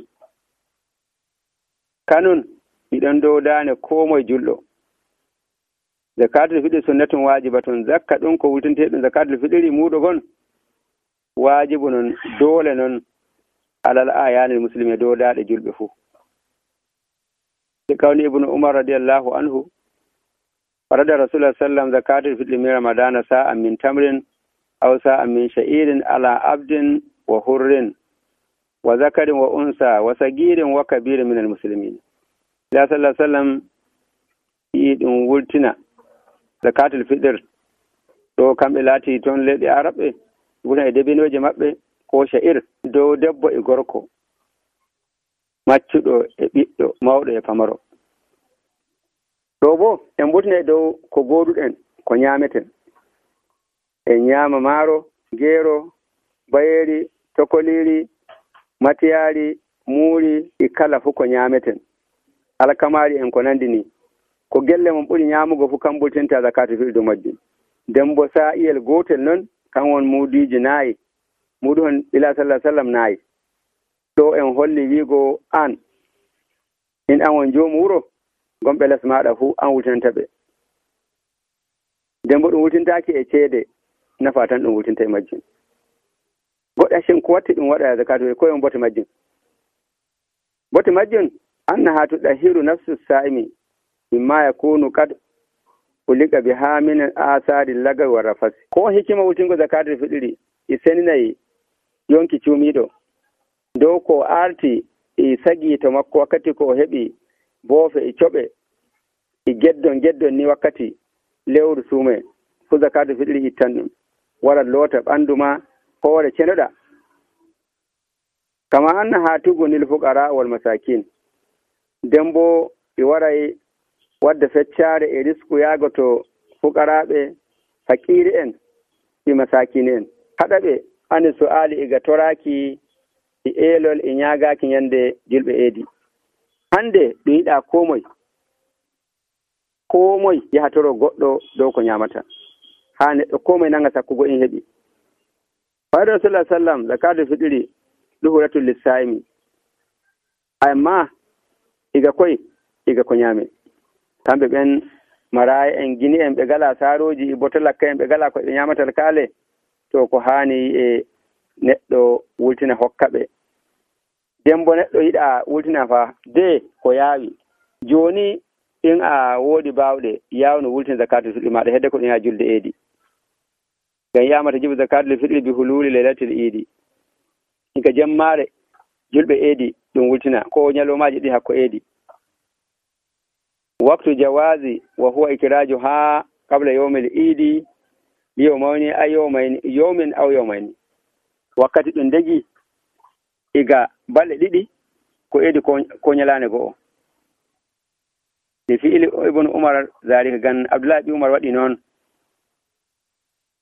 kanun iɗon dow daane ko moye julɗo zakatul fiɗɗiri sunnatun waajibatun zakka ɗum ko wultenteɗum zakatul fiɗɗiri muuɗo gon waajibu non doole non alal ayanil muslimi dow daaɗe julɓe fuu e kawni ibnu umar radiallahu anhu farada rasulullah sallam zakatul fiɗɗiri min ramadana sa'an min tamrin aw sa'an min sha'irin ala abdin wa hurrin wa zakarin wa unsa wa sagirin wa kabirin min almuslimin ila sallallahu sallam yi ɗum wultina zakatul fiɗɗir ɗo kamɓe laati toon leɗɗe araɓe wona e debinoje maɓɓe ko sha'ir dow debbo e gorko maccuɗo e ɓiɗɗo mawɗo e pamaro ɗo bo en ɓurtina e dow ko goduɗen ko ñameten en ñaama maaro geero bayeri tokoliri matiyari muuri e kala fof ko ñameten alkamari en ko nandi ni ko gelle mon ɓuri ñamugo fof kam ɓurtinta zakatu fiɗɗi dow majjum nden bo sa'iyel gotel noon kan won muudiji naayi muɗum hon ila sallah sallam naayi ɗo en holli wiigo an in an won joomu wuro gonɓe les maɗa fuu an wultinanta ɓe nden bo ɗum wultintaki e ceede nafa tan ɗum wultinta e majjum goɗɗa shin ko watti ɗum waɗa zakatu koye on bote majjum annaha tuɗahiru nafsu sa'imi mimma yakunu kad ulika biha min asari lagawi wa rafasi ko hikima wultingo zakatu fiɗiri e seninayi yonki cuumiɗo dow ko arti e sagi to makko wakkati ko heɓi boofe e coɓe e geddon ni wakkati lewru suume fu zakatu fiɗiri ittan ɗum wara loota ɓanndu ma hoore cenoɗa kama anna ha tugunil fuqara wal masakin nden bo ɓe waray wadda feccare e risku yaago to fuqaraɓe fakiri en e masakine en haɗaɓe ani su'ali iga toraki e eelol e ñaagaki ñande julɓe eedi hande ɗum yiɗa ko moy yahatoro goɗɗo dow ko ñamata ha neɗɗo ko moye nanga sakkugo in heɓi fayda rasulullah sallam zakatu fiɗiri ɗuhuratul lissa'imi amma iga koy iga ko ñaame kamɓe ɓen maraya en gini en ɓe gala saaroji e botolakka en ɓe gala ko ɓe ñamatal kaale to ko hani e neɗɗo wultina hokka ɓe dembo neɗɗo yiɗa wultina fa de ko yaawi joni in a woodi bawɗe yawno wultina zakatul fiɗri maɗa hedde ko ɗum ha julde eedi ngam yamata jibu zakatul fiɗri bi hululi lailatul idi ika jemmare julɓe eedi ɗum wultina ko ñalomaji ɗi hakko eedi waktu jawazi wa huwa ikiraju ha qabla yawmil idi yawmani ay yawmin aw yawmayni wakkati ɗum degi iga balɗe ɗiɗi ko eedi ko ñalane go'o fi ibnu umar zalika gan abdullahi umar waɗi noon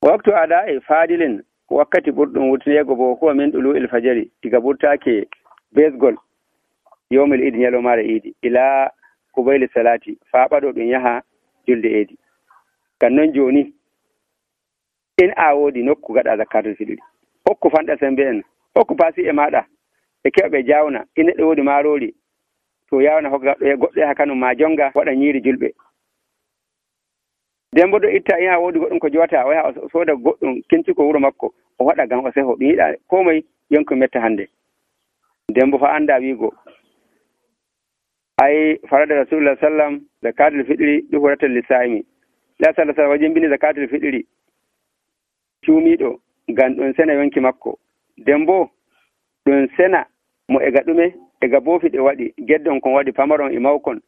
waktu ada e fadilin wakkati ɓurɗum wurtinego bo huwa min ɗulu il fajari iga ɓurtake besgol yawmil idi ñalomare idi ila kubayli salati faɓaɗo ɗum yaha julde eedi kan noon joni in a woodi nokku gaɗa zakatul fiɗri hokku fanɗa sembe en hokku paasi e maɗa e keɓɓe jawna in neɗɗo woodi marori to yawna hokkaɗo e goɗɗo yaha kanum ma jonga waɗa ñiiri julɓe nden bo ɗo itta in a woodi goɗɗum ko jowata o yaha o sooda goɗɗum kinci ko wuro makko o waɗa gam o seho ɗum yiɗa ko moye yonko metta hande nden bo fa anda wiigo ay farada rasulullah sallam zakatul fiɗri ɗuhuratal lisa'imi la sallallahu alaihi wajimbini zakatul fiɗri cuumiɗo ngam ɗum sena yonki makko nden bo ɗum sena mo ega ɗume ega boofi ɗe waɗi geddon kon waɗi pamaron e mawkon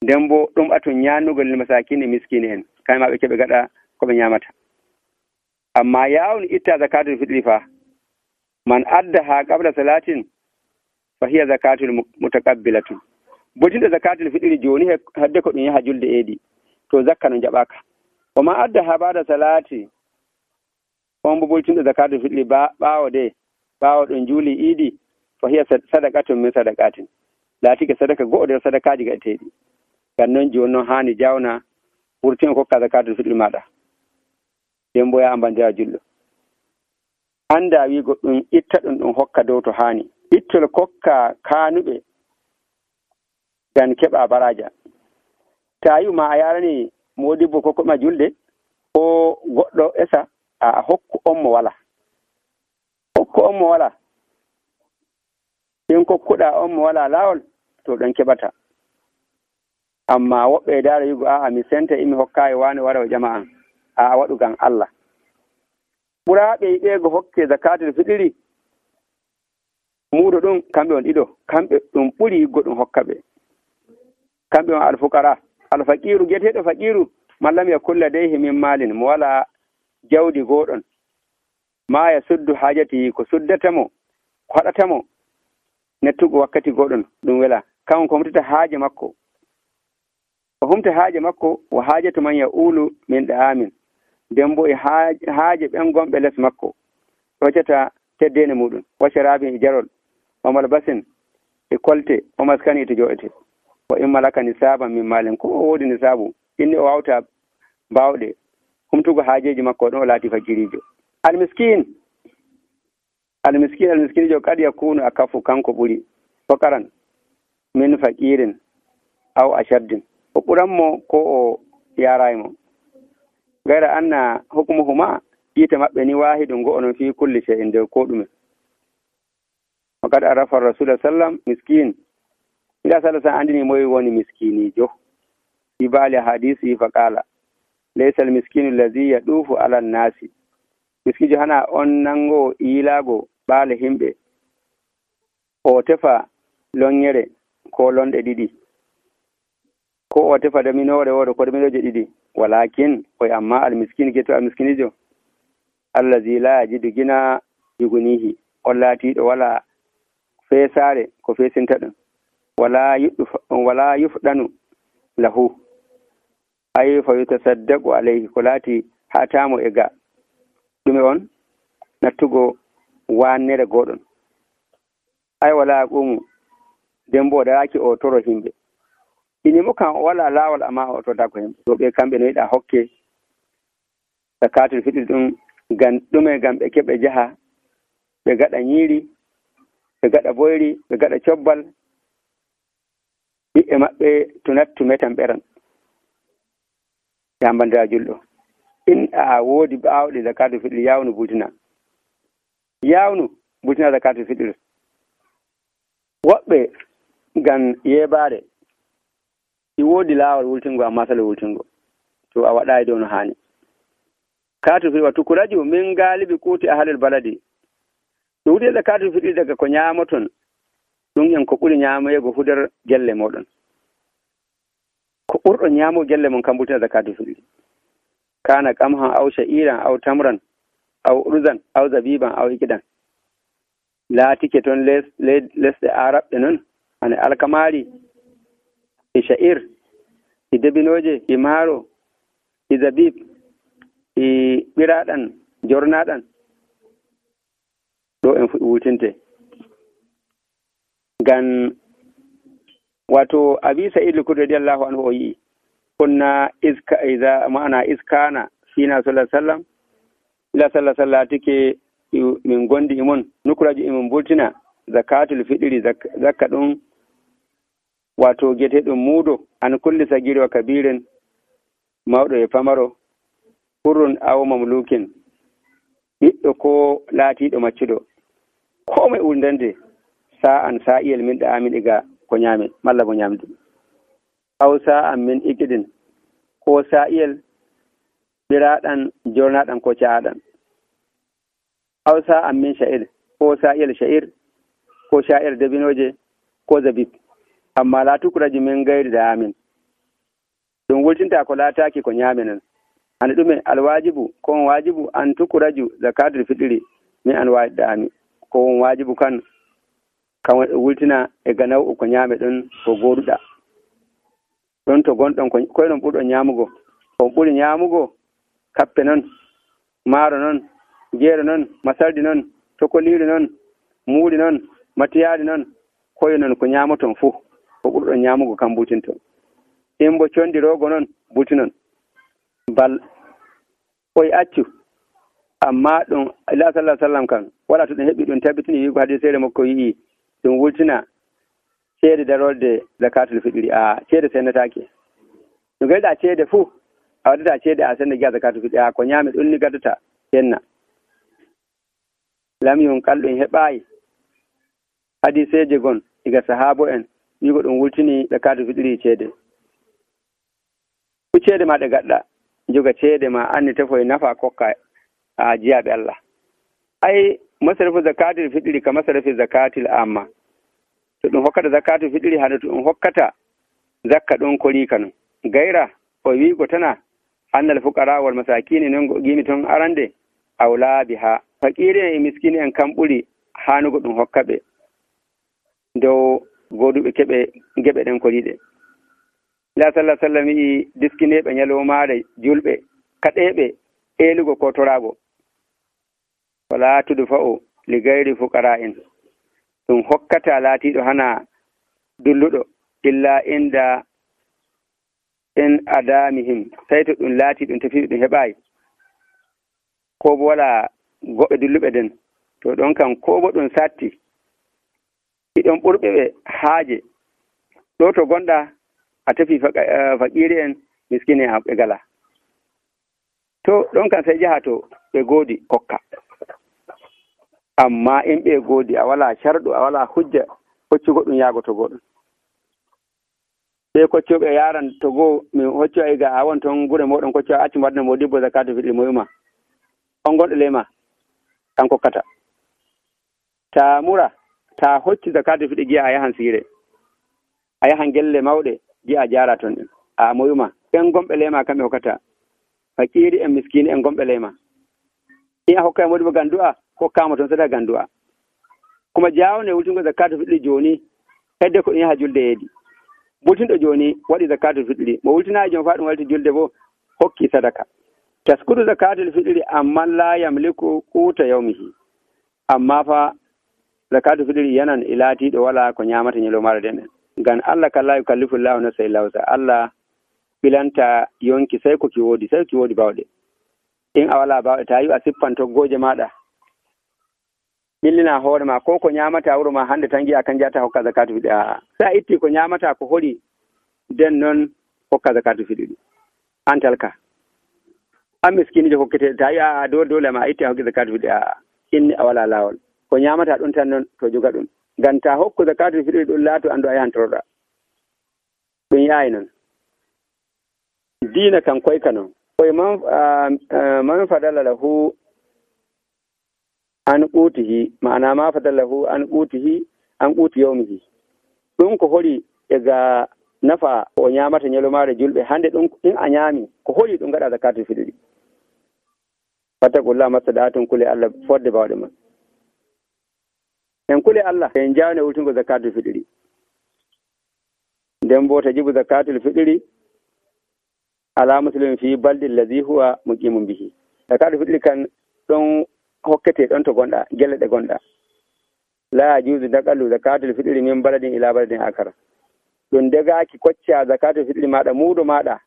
nden bo ɗum atun ñannugol lil masakini miskini en kamɓe ma ɓe keɓe gaɗa ko ɓe ñamata. amma yawni itta zakatul fitri fa man adda ha qabla salatin fa hiya zakatul mutaqabbilatun. botinɗo zakatul fitri joni hadde ko ɗum yaha julde eedi to zakka no jaɓaka. o ma adda ha bada salati on bo boltinɗo zakatul fitri ɓawo ɗon juuli iidi fa hiya sadaqatun min sadaqatin. laatike sadaka go'o nder sadakaji gaɗeteɗi. ngam noon joni noon hani jawna wurtin kokka zakatul fitri maɗa nden bo yaha bandira julɗo anda wi goɗɗum itta ɗum hokka dow to hani. ittol kokka kanuɓe gan keɓa baraja. ta yi ma a yarani modibbo kokkoɗuma julde ko goɗɗo esa a hokku on mo wala. hokku on mo wala. in kokkuɗa on mo wala lawol to ɗon keɓata. amma woɓɓe dara yugo a'a mi senta imi hokkayi wani wara o ƴama an a waɗu gan Allah. ɓuraɓe yiɗego hokke zakatul fitri muudo ɗum kamɓe on ɗiɗo kamɓe ɗum ɓuri yiggo ɗum hokka ɓe. kamɓe on alfukara. alfaqiru gueteɗo faqiru mallam ya kulla deyhi min malin mo wala jawdi goɗon ma ya suddu hajati ko suddatamo ko haɗatamo nettugo wakkati goɗon ɗum wela kan ko humtata haaje makko o humta haaje makko o haajatu man ya ulu min ɗa'amin nden bo e haaje ɓen gonɓe les makko hoccata teddene muɗum wacarabi e jarol o malbasin e kolte o maskani to joɗete o immalaka nisaban min malen ko o woodi nisabu inni o wawta bawɗe humtugo haajeji makko ɗon o laati fakirijo. almiskinijo kad yakunu a kafu kanko ɓuri fakaran min faqirin aw ashaddin. o ɓuranmo ko o yaraymo gayra anna hukmuhuma yiite maɓɓe ni wahidum go onon fi kulli shay'in nder ko ɗume. o kad arafa rasul sallam miskin ila sallah sa andini moy woni miskinijo fi bali hadisi fa qala laysa al miskinu alladhi yadufu ala an-nasi. miskijo hana on nango ilago ɓaale himɓe o tefa lonyere ko lonɗe ɗiɗi ko o tefa daminore woɗo ko daminoje ɗiɗi walakin oy amma almiskin geto almiskinijo allazi la yajidu gina yugunihi on laatiɗo wala feesare ko feesinta ɗum wala yufɗanu lahu ay fa yutasaddaqu alayhi ko laati hatamo e ga ɗume on nattugo wannere goɗon ay wala qumu dembo daraki o toro himɓe inimo kan o wala lawol amma o tota ko himɓe. to ɓe kamɓe no yiɗa hokke zakatul fitri ɗum gam ɗume gam ɓe keɓe jaha ɓe gaɗa ñiiri ɓe gaɗa boyri ɓe gaɗa cobbal ɓiɓɓe maɓɓe to nattu metan ɓeran yambandira julɗo. in a woodi ɓaawɗe zakatul fitri yawnu butina zakatul fitri. woɓɓe gan yeɓare i woodi laawol wultingo amma sala wultingo to a waɗayi dow no hani. zakatul fitri wa tukuraju min galibi kuti ahlul baladi. ɗum wuti zakatul fitri daga ko ñamoton ɗum en ko ɓuri ñamoyego fu nder gelle moɗon. ko ɓurɗo ñamo gelle mon kam butina zakatul fitri. kana qamhan aw sha'iran aw tamran aw urzan aw zabiban aw ikidan. laatike toon lesɗe araɓɓe noon ane alkamari e sha'ir e debinoje e maaro e zabib e ɓiraɗan jornaɗan ɗo en fuɗi wutinte. gan wato abi sa'id al-khudri radiyallahu anhu o yi kunna iskana fina sallallahu alaihi wasallam ila sallallahu alaihi tike min gondi imon nukuraji imin bultina zakatul fitri zakka ɗum wato gete ɗum muudo an kulli sagiri wa kabirin mawɗo e pamaro hurrun aw mamlukin ɓiɗɗo ko laatiɗo maccuɗo ko mai urdande sa'an sa'iyel min da amin iga ko nyame malla ko nyamdu aw sa'an min ikidin ko sa'iyel biraɗan jornaɗan ko caaɗan aw sa'an min sha'ir ko sa'iyel sha'ir ko sha'ir dabinoje ko zabib amma la tukuraji min gairi da amin ɗum wultinta ko laataaki ko ñaame non. Ane ɗume alwajibu ko on wajibu an tukuraju zakatul fitri min an wajiɗaami ko on wajibu kan wultina e ganaw ko ñaame ɗon ko goduɗa ɗon to gonɗon koye non ɓurɗon ñaamugo on ɓuri ñaamugo kappe non maaro non jeero non masardi non tokoliiri non muuli non matiyaari non koye non ko ñaamoton fuu ko ɓurɗon ñaamugo kam butinto imbo condiroogo non buti non bal koye accu amma ɗum ila sallah sallam kan wala to ɗum heɓi ɗum tabitini wiigo hadiseere makko yii ɗum wultina ceede darolde zakatul fitri ceede sennataake no gayɗa ceede fuu a waddata ceede a senda giya zakatul fitri ko ñaame ɗum ni gaddata senna lamyum kalɗum heɓaayi hadiseeje gon iga sahaabo en wiigo ɗum wultini zakatul fitri ceede fu ceede ma ɗe gaɗɗa joga ceede ma anni tefoye nafa kokka a jiyaɓe Allah ay masarafu zakatul fitri ka masarafi zakatil amma to ɗum hokkata zakatul fitri hade to ɗum hokkata zakka ɗon korika non gayra o wiigo tana annal fuqara wal masakini non gimi ton arande awla biha fakiri en e miskini en kam ɓuri hanugo ɗum hokkaɓe dow goduɓe keɓe geɓe ɗen koriɗe la sallah sallam yi diskineɓe ñalowmaare julɓe kaɗeɓe eelugo ko torago wala tudfa'u li gayri fuqara en ɗum hokkata laatiɗo hana dulluɗo illa inda en adamihim tawi to ɗum laati ɗum tafiɓe ɗum heɓayi ko bo wala goɓɓe dulluɓe den to ɗon kam ko bo ɗum satti iɗon ɓurɓe ɓe haaje ɗo to gonɗa a tafi fakiri en miskine en ɓe gala to ɗon kam sai jaha to ɓe goodi kokka amma in ɓe goodi a wala sharɗu a wala hujja hoccugo ɗum yaago to goɗɗum ɓe koccoɓe yaran to goo min hocco ay ga a won toon gure moɗon kocco a acci mbaɗna mo dibbo zakatul fitri mo yuma on gonɗo lema tan kokkata ta mura ta hocci zakatul fitri giya a yahan siire a yahan gelle mawɗe giya a jara toon ɗin a mo yuma ɓen gomɓe lema kamɓe hokkata fakiri en miskini en gomɓe lema in a hokka modibo gandu'a hokkama toon sada gandu'a kuma jawne wultingo zakatul fitri joni hedde ko ɗum yaha julde yeedi wultinɗo joni waɗi zakatul fitri mo wultinayi joni fa ɗum walti julde bo hokki sadaka taskudu zakatul fitri amma la yamliku quta yawmihi amma fa zakatul fitri yanan ilatiɗo wala ko ñamata ñalowmaare den en ngam Allah kala yukallifu llahu nafsan illa wusa Allah bilanta yonki sai ko ki woodi bawɗe in a wala bawɗe ta yi a sippan toggoje maɗa ɓillina hoore ma ko ñamata wuro ma hande tan giya kan jata hokka zakatul fitri sa itti ko ñamata ko holi den noon hokka zakatul fitri an talka an miskinijo hokkete ta yi a dole ma itti a hokki zakatul fitri inni a wala lawol ko ñamata ɗum tan noon to joga ɗum ngam ta hokku zakatul fitri ɗum laato andu a yahan toroɗa ɗum yaayi noon diina kan koyka noon koye man fadala lahu an qutihi ma'ana ma fadala lahu an qutihi an quti yawmihi ɗum ko holi ega nafa o ñamata ñalowmaare julɓe hande ɗum in a ñaami ko holi ɗum gaɗa zakatul fitri fattakullah mastaɗatum kule Allah fodde bawɗe man en kule Allah en jawne wultingo zakatul fitri nden bo tajibu zakatul fitri ala muslimin fi baldi allazi huwa muqimun bihi zakatul fitri kan ɗon hokkete ɗon to gonɗa gelle ɗe gonɗa la yajuzu naqalu zakatul fitri min baladin ila baladin akara ɗum degaki kocca zakatul fitri maɗa muudo maɗa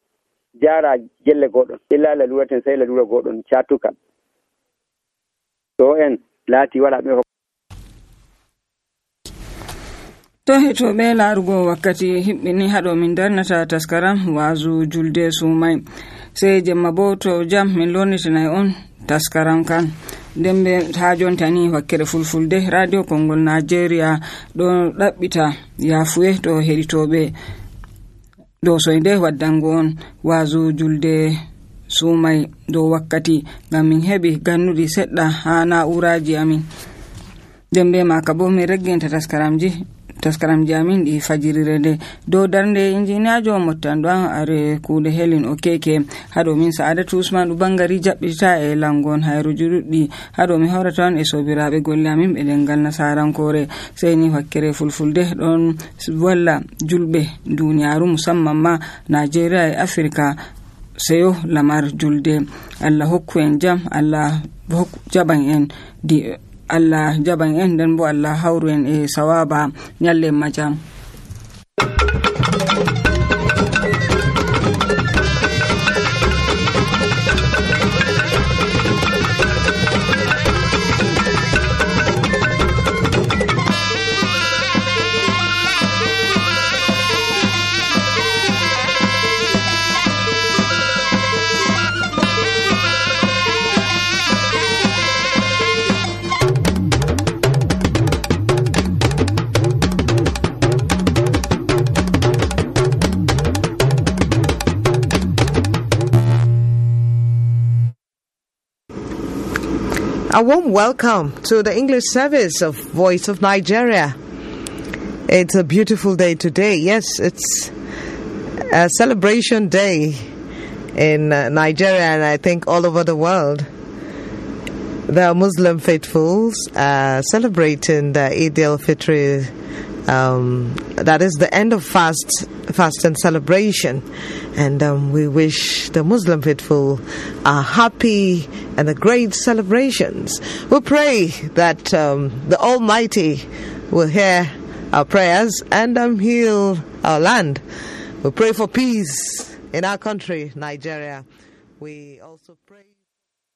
jara gelle goɗɗon illa laluraten sai lalura goɗɗon cattukal to en laati wala ɓe to heɗoɓe laarugo wakkati hiɓɓini haɗo min darnata taskaram wazu julde sumay sey jemma bo to jam min lornitinay on taskaram kan nden ɓe ha jontani wakkere fulfulde radio kongol nigeria ɗo ɗaɓɓita yafuye to heɗitoɓe dow soyde waddango on wazu julde sumay dow wakkati ngam min heɓi gannuɗi seɗɗa ha na'uraji amin nden ɓe maka bo min reggenta taskaramji taskaram jamin ɗi fajirire nde dow darnde injiniyajo mottanɗo an are kuuɗe helin o keke haɗo min Sa'adatu Usman ɗo bangari jaɓɓita e langon hayruji ɗuɗɗi haɗo mi hawrata on e sobiraɓe golle amin ɓe ɗengal nasarankore sey ni wakkere fulfulde ɗon walla julɓe duniyaru musamman ma Nigeria e Africa seyo lamar julde. Allah hokku en jam, Allah jaɓan en Allah jaɓan en nden bo Allah hawru en e sawaba nyalle majam. A warm welcome to the English service of Voice of Nigeria. It's a beautiful day today. Yes, it's a celebration day in Nigeria and I think all over the world. The Muslim faithfuls are celebrating the Eid al-Fitr, that is the end of fast and celebration. And we wish the Muslim faithful a happy and a great celebrations. We pray that the Almighty will hear our prayers and heal our land. We pray for peace in our country, Nigeria. We also pray